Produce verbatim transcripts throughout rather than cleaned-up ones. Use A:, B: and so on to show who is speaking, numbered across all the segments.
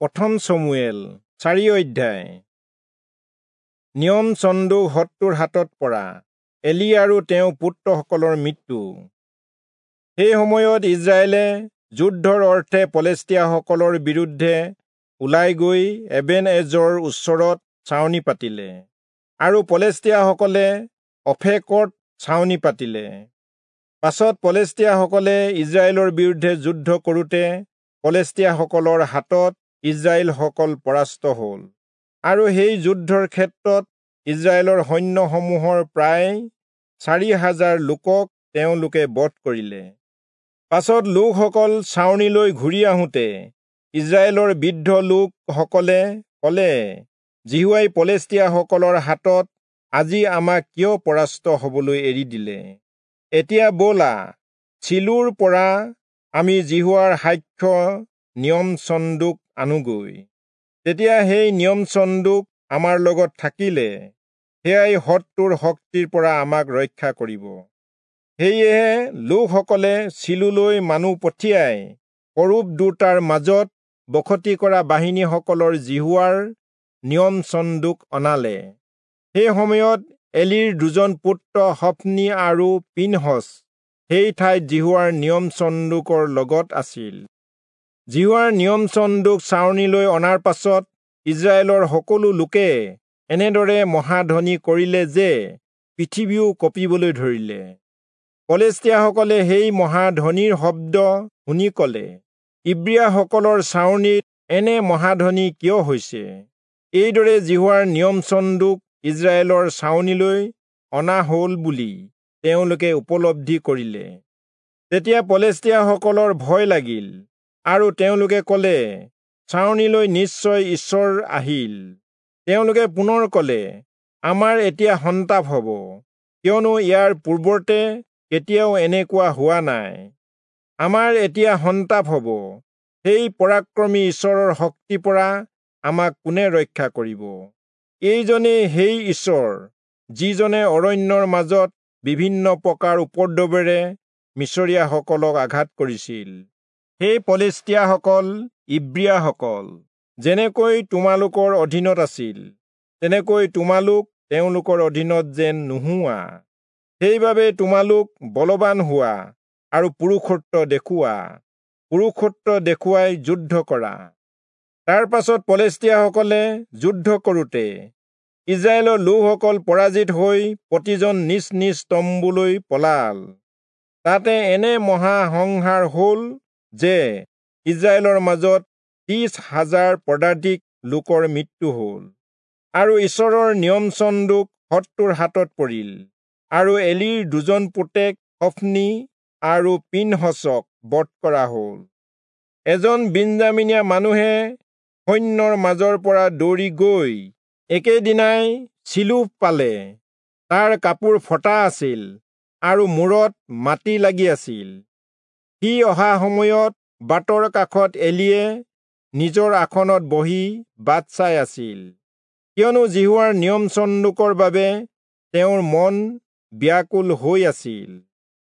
A: প্ৰথম চমুৱেল চাৰি অধ্যায়। নিয়ম চন্দুক শত্ৰুৰ হাতত পৰা এলি আৰু তেওঁ পুত্ৰসকলৰ মৃত্যু। সেই সময়ত ইজৰাইলে যুদ্ধৰ অৰ্থে পলেষ্টীয়াসকলৰ বিৰুদ্ধে ওলাই গৈ এবেন-এজৰ ওচৰত ছাউনি পাতিলে আৰু পলেষ্টীয়াসকলে অফেকত ছাউনি পাতিলে। পাছত পলেষ্টীয়াসকলে ইজৰাইলৰ বিৰুদ্ধে যুদ্ধ কৰোঁতে পলেষ্টীয়াসকলৰ হাতত ইজৰাইলসকল পৰাস্ত হ'ল আৰু সেই যুদ্ধৰ ক্ষেত্ৰত ইজৰাইলৰ সৈন্যসমূহৰ প্ৰায় চাৰি হাজাৰ লোকক তেওঁলোকে বধ কৰিলে। পাছত লোকসকল ছাউনিলৈ ঘূৰি আহোঁতে ইজৰাইলৰ বৃদ্ধ লোকসকলে ক'লে, যিহোৱাই পলেষ্টীয়াসকলৰ হাতত আজি আমাক কিয় পৰাস্ত হ'বলৈ এৰি দিলে? এতিয়া ব'লা, চিলোৰ পৰা আমি যিহোৱাৰ সাক্ষ্য নিয়ম চন্দুক আনোগৈ। তেতিয়া সেই নিয়ম চন্দুক আমাৰ লগত থাকিলে সেয়াই শত্ৰুৰ শক্তিৰ পৰা আমাক ৰক্ষা কৰিব। সেয়েহে লোকসকলে চিলোলৈ মানুহ পঠিয়াই কৰূব দুটাৰ মাজত বসতি কৰা বাহিনীসকলৰ যিহোৱাৰ নিয়ম চন্দুক অনালে। সেই সময়ত এলিৰ দুজন পুত্ৰ হফনি আৰু পিনহচ সেই ঠাইত যিহোৱাৰ নিয়ম চন্দুকৰ লগত আছিল। যিহোৱাৰ নিয়ম চন্দুক ছাউনিলৈ অনাৰ পাছত ইজৰাইলৰ সকলো লোকে এনেদৰে মহাধ্বনি কৰিলে যে পৃথিৱীও কঁপিবলৈ ধৰিলে। পলেষ্টীয়াসকলে সেই মহাধ্বনিৰ শব্দ শুনি ক'লে, ইব্ৰীয়াসকলৰ ছাউনিত এনে মহাধ্বনি কিয় হৈছে? এইদৰে যিহোৱাৰ নিয়ম চন্দুক ইজৰাইলৰ ছাউনিলৈ অনা হ'ল বুলি তেওঁলোকে উপলব্ধি কৰিলে। তেতিয়া পলেষ্টীয়াসকলৰ ভয় লাগিল আৰু তেওঁলোকে ক'লে, ছাউনিলৈ নিশ্চয় ঈশ্বৰ আহিল। তেওঁলোকে পুনৰ ক'লে, আমাৰ এতিয়া সন্তাপ হ'ব, কিয়নো ইয়াৰ পূৰ্বতে কেতিয়াও এনেকুৱা হোৱা নাই। আমাৰ এতিয়া সন্তাপ হ'ব, সেই পৰাক্ৰমী ঈশ্বৰৰ শক্তিৰ পৰা আমাক কোনে ৰক্ষা কৰিব? এইজনেই সেই ঈশ্বৰ, যিজনে অৰণ্যৰ মাজত বিভিন্ন প্ৰকাৰ উপদ্ৰৱেৰে মিচৰীয়াসকলক আঘাত কৰিছিল। সেই পলেষ্টীয়াসকল ইব্ৰীয়াসকল যেনেকৈ তোমালোকৰ অধীনত আছিল, তেনেকৈ তোমালোক তেওঁলোকৰ অধীনত যেন নোহোৱা। সেইবাবে তোমালোক বলৱান হোৱা আৰু পুৰুষত্ব দেখুওৱা, পুৰুষত্ব দেখুৱাই যুদ্ধ কৰা। তাৰ পাছত পলেষ্টীয়াসকলে যুদ্ধ কৰোঁতে ইজৰাইলৰ লোকসকল পৰাজিত হৈ প্ৰতিজন নিজ নিজ তম্বুলৈ পলাল। তাতে এনে মহা সংহাৰ হ'ল যে ইজৰাইলৰ মাজত ত্ৰিশ হাজাৰ পদাতিক লোকৰ মৃত্যু হ'ল। আৰু ঈশ্বৰৰ নিয়ম চন্দুক শত্ৰুৰ হাতত পৰিল আৰু এলিৰ দুজন পুতেক হফনি আৰু পিনহচক বধ কৰা হ'ল। এজন বিন্যামীনীয়া মানুহে সৈন্যৰ মাজৰ পৰা দৌৰি গৈ একেদিনাই চিলোহ পালে। তাৰ কাপোৰ ফটা আছিল আৰু মূৰত মাটি লাগি আছিল। সি অহা সময়ত বাটৰ কাষত এলিয়ে নিজৰ আসনত বহি বাট চাই আছিল, কিয়নো যিহোৱাৰ নিয়ম চন্দুকৰ বাবে তেওঁৰ মন ব্যাকুল হৈ আছিল।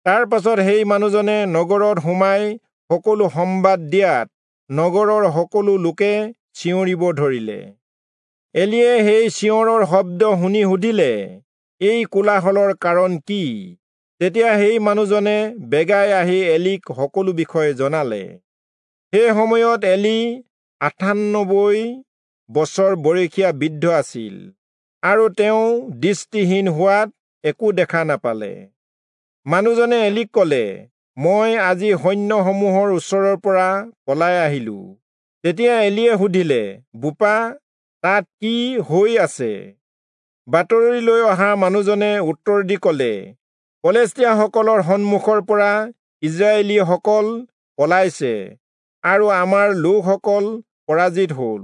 A: তাৰ পাছত সেই মানুহজনে নগৰত সোমাই সকলো সম্বাদ দিয়াত নগৰৰ সকলো লোকে চিঞৰিব ধৰিলে। এলিয়ে সেই চিঞৰৰ শব্দ শুনি সুধিলে, এই কোলাহলৰ কাৰণ কি? তেতিয়া সেই মানুহজনে বেগাই আহি এলিক সকলো বিষয়ে জনালে। সেই সময়ত এলি আঠান্নব্বৈ বছৰ বয়সীয়া বৃদ্ধ আছিল আৰু তেওঁ দৃষ্টিহীন হোৱাত একো দেখা নাপালে। মানুহজনে এলিক ক'লে, মই আজি সৈন্যসমূহৰ ওচৰৰ পৰা পলাই আহিলো। তেতিয়া এলিয়ে সুধিলে, বোপা, তাত কি হৈ আছে? বাতৰি লৈ অহা মানুহজনে উত্তৰ দি ক'লে, পলেষ্টীয়াসকলৰ সন্মুখৰ পৰা ইজৰাইলীসকল পলাইছে আৰু আমাৰ লোকসকল পৰাজিত হ'ল।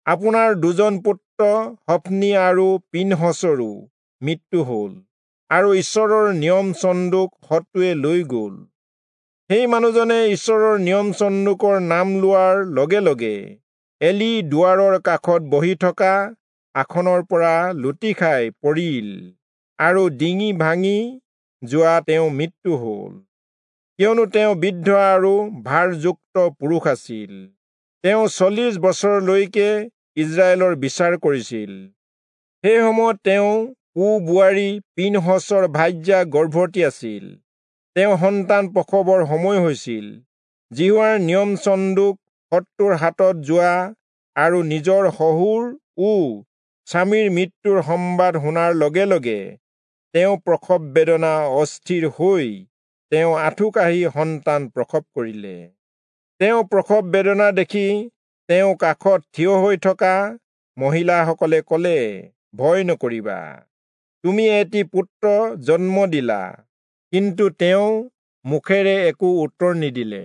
A: আপোনাৰ দুজন পুত্ৰ হফনি আৰু পিনহচৰো মৃত্যু হ'ল আৰু ঈশ্বৰৰ নিয়ম চন্দুক শত্ৰুৱে লৈ গ'ল। সেই মানুহজনে ঈশ্বৰৰ নিয়ম চন্দুকৰ নাম লোৱাৰ লগে লগে এলি দুৱাৰৰ কাষত বহি থকা আসনৰ পৰা লুটি খাই পৰিল আৰু ডিঙি ভাঙি যোৱা তেওঁ মৃত্যু হ'ল, কিয়নো তেওঁ বৃদ্ধ আৰু ভাৰযুক্ত পুৰুষ আছিল। তেওঁ চল্লিশ বছৰলৈকে ইজৰাইলৰ বিচাৰ কৰিছিল। সেই সময়ত তেওঁ পু বোৱাৰী পিনহচৰ ভাৰ্যা গৰ্ভৱতী আছিল। তেওঁ সন্তান প্ৰসৱৰ সময় হৈছিল। যিহোৱাৰ নিয়ম চন্দুক শত্ৰুৰ হাতত যোৱা আৰু নিজৰ শহুৰ ও স্বামীৰ মৃত্যুৰ সম্বাদ শুনাৰ লগে লগে তেওঁ প্ৰসৱ বেদনা অস্থিৰ হৈ তেওঁ আঁঠু কাঢ়ি সন্তান প্ৰসৱ কৰিলে। তেওঁ প্ৰসৱ বেদনা দেখি তেওঁ কাষত থিয় হৈ থকা মহিলাসকলে কলে, ভয় নকৰিবা, তুমি এটি পুত্ৰ জন্ম দিলা। কিন্তু তেওঁ মুখেৰে একো উত্তৰ নিদিলে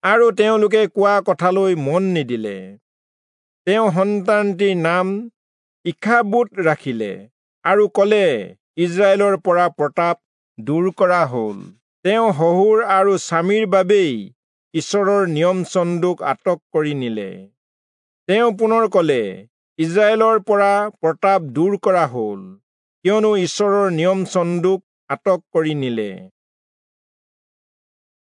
A: আৰু তেওঁলোকে কোৱা কথালৈ মন নিদিলে। তেওঁ সন্তানটিৰ নাম ইখাবোদ ৰাখিলে আৰু কলে, ইজৰাইলৰ পৰা প্ৰতাপ দূৰ কৰা হল। তেওঁ শহুৰ আৰু স্বামীৰ বাবেই ঈশ্বৰৰ নিয়ম চন্দুক আটক কৰি নিলে। তেওঁ পুনৰ কলে, ইজৰাইলৰ পৰা প্ৰতাপ দূৰ কৰা হল, কিয়নো ঈশ্বৰৰ নিয়ম চন্দুক আটক কৰি নিলে।